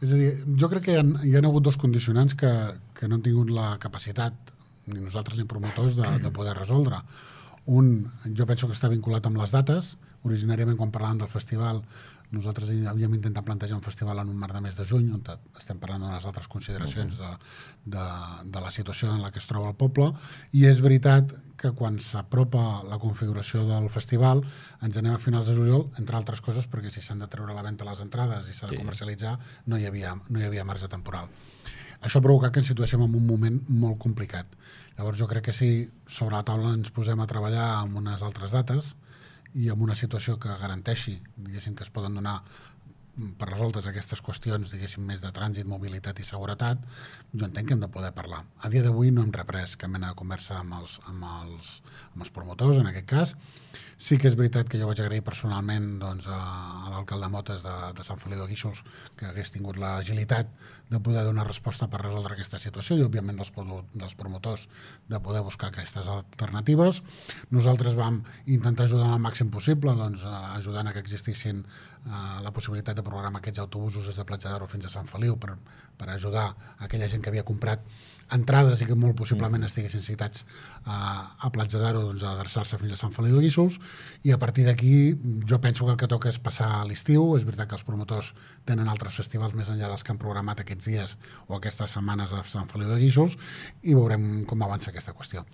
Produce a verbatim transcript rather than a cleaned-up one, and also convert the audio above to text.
És a dir, jo crec que hi ha, hi ha hagut dos condicionants que, que no han tingut la capacitat, ni nosaltres ni promotors, de, de poder resoldre. Un, jo penso que està vinculat amb les dates. Originàriament, quan parlàvem del festival, nosaltres havíem intentat plantejar un festival en un marc de mes de juny, on estem parlant d'unes altres consideracions de, de, de la situació en la que es troba el poble, i és veritat que quan s'apropa la configuració del festival ens anem a finals de juliol, entre altres coses perquè si s'han de treure a la venda les entrades i s'ha de comercialitzar, no hi havia, no hi havia marge temporal. Això ha provocat que ens situéssim en un moment molt complicat. Llavors jo crec que si sobre la taula ens posem a treballar amb unes altres dates i amb una situació que garanteixi, diguéssim, que es poden donar per resoltes aquestes qüestions, diguéssim, més de trànsit, mobilitat i seguretat, jo entenc que hem de poder parlar. A dia d'avui no hem reprès cap mena de conversa amb els, amb els, amb els promotors, en aquest cas. Sí que és veritat que jo vaig agrair personalment doncs, a l'alcalde Motes de, de Sant Feliu de Guíxols que hagués tingut l'agilitat de poder donar resposta per resoldre aquesta situació i, òbviament, dels, dels promotors de poder buscar aquestes alternatives. Nosaltres vam intentar ajudar al màxim possible, doncs, ajudant a que existissin eh, la possibilitat de programar aquests autobusos des de Platja d'Aro fins a Sant Feliu per, per ajudar a aquella gent que havia comprat entrades i que molt possiblement estiguessin citats a, a Platja d'Aro doncs, a adreçar-se fins a Sant Feliu de Guíxols, i a partir d'aquí jo penso que el que toca és passar a l'estiu. És veritat que els promotors tenen altres festivals més enllà dels que han programat aquests dies o aquestes setmanes a Sant Feliu de Guíxols, i veurem com avança aquesta qüestió.